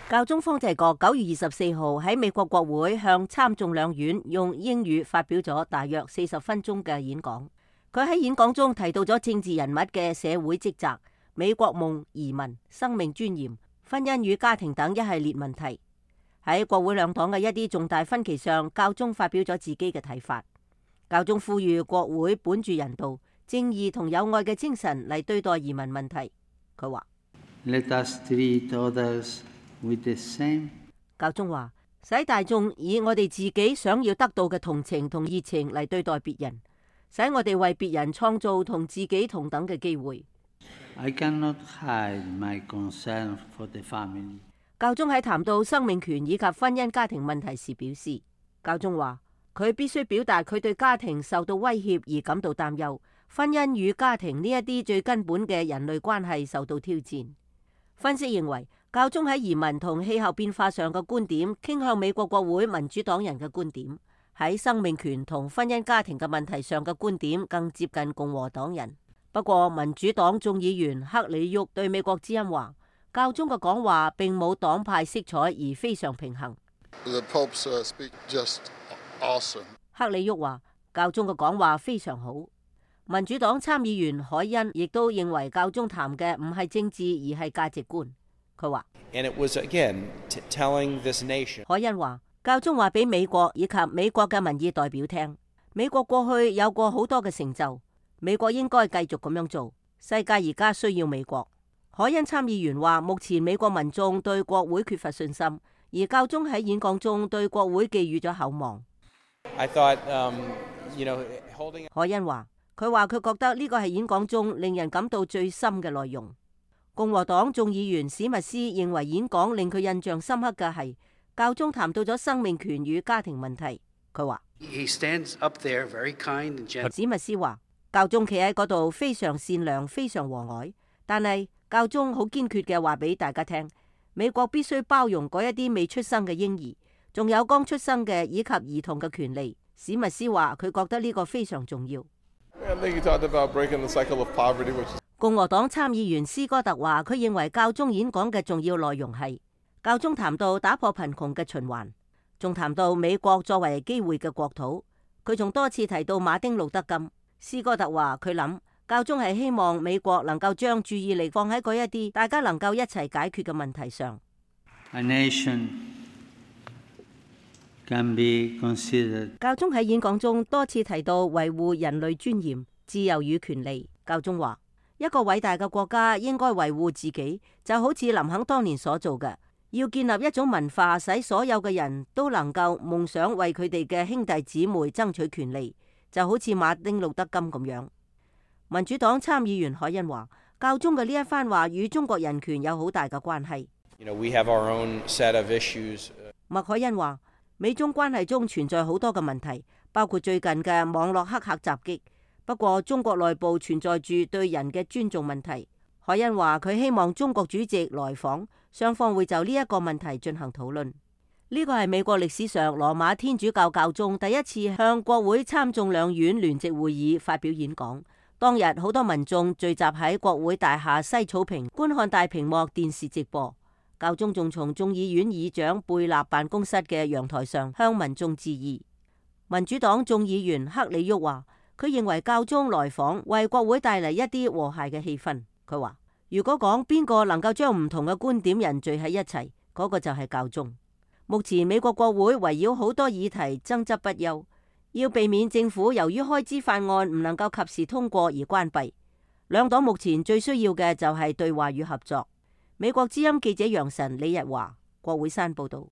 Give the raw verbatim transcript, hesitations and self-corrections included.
教宗方濟各九月二十四號喺美國國會向參眾兩院用英語發表咗大約四十分鐘嘅演講。佢喺演講中提到咗政治人物嘅社會職責、美國夢、移民、生命尊嚴、婚姻與家庭等一系列問題。喺國會兩黨嘅一啲重大分歧上，教宗發表咗自己嘅睇法。教宗呼籲國會本住人道、正義同友愛嘅精神嚟對待移民問題。佢話：Let us treat others with the same。教宗話：使大眾以我哋自己想要得到嘅同情同熱情嚟對待別人，使我哋為別人創造同自己同等嘅機會。I cannot hide my concern for the family。教宗喺談到生命權以及婚姻家庭問題時表示，教宗話佢必須表達佢對家庭受到威脅而感到擔憂，婚姻與家庭呢一啲最根本嘅人類關係受到挑戰。分析認為，教宗喺移民同氣候變化上嘅觀點傾向美國國會民主黨人嘅觀點，喺生命權同婚姻家庭嘅問題上嘅觀點更接近共和黨人。不過，民主黨眾議員克里沃對美國之音話，教宗嘅講話並冇黨派色彩而非常平衡。The Pope's, uh, speak just awesome. 克里沃話，教宗嘅講話非常好。民主黨參議員海恩亦都認為教宗談嘅唔係政治而係價值觀。佢話，And it was again telling this nation。海恩話，教宗話俾美國以及美國嘅民意代表聽，美國過去有過好多嘅成就，美國應該繼續咁樣做。世界而家需要美國。海恩參議員話，目前美國民眾對國會缺乏信心，而教宗喺演講中對國會寄予咗厚望。I thought, um, you know, holding... 海恩話，佢話佢覺得呢個係演講中令人感到最深嘅內容。共和黨眾議員史密斯認為演講令佢印象深刻嘅係教宗談到咗生命權與家庭問題。佢話，He stands up there very kind and gentle。史密斯話，教宗企喺嗰度非常善良、非常和藹，但係教宗好堅決嘅話俾大家聽，美國必須包容嗰一啲未出生嘅嬰兒，仲有剛出生嘅以及兒童嘅權利。史密斯話佢覺得呢個非常重要。共和黨參議員斯哥特話，佢認為教宗演講嘅重要內容係教宗談到打破貧窮嘅循環，仲談到美國作為機會嘅國土。佢仲多次提到馬丁路德金。斯哥特話佢諗教宗係希望美國能夠將注意力放喺嗰一啲大家能夠一齊解決嘅問題上。A nation can be considered。教宗喺演講中多次提到維護人類尊嚴、自由與權利。教宗話，一個偉大嘅國家應該維護自己，就好似林肯當年所做嘅，要建立一種文化，使所有嘅人都能夠夢想為佢哋嘅兄弟姊妹爭取權利，就好似馬丁路德金咁樣。民主黨參議員海恩話，教宗嘅呢一番話與中國人權有好大嘅關係。You know, we have our own set of issues. 麥凱恩話，美中關係中存在好多嘅問題，包括最近嘅網絡黑客襲擊。不過中國內部存在住對人嘅尊重問題。海恩話佢希望中國主席來訪，雙方會就呢一個問題進行討論。呢個係美國歷史上羅馬天主教教宗第一次向國會參眾兩院聯席會議發表演講。當日好多民眾聚集喺國會大廈西草坪觀看大屏幕電視直播。教宗仲從眾議院議長貝納辦公室嘅陽台上向民眾致意。民主黨眾議員克里沃話，佢認為教宗來訪為國會帶嚟一啲和諧嘅氣氛。佢話，如果講邊個能夠將唔同嘅觀點人聚喺一齊，嗰個就係教宗。目前美國國會圍繞好多議題爭執不休，要避免政府由於開支法案唔能夠及時通過而關閉。兩黨目前最需要嘅就係對話與合作。美國之音記者楊晨李日華，國會山報道。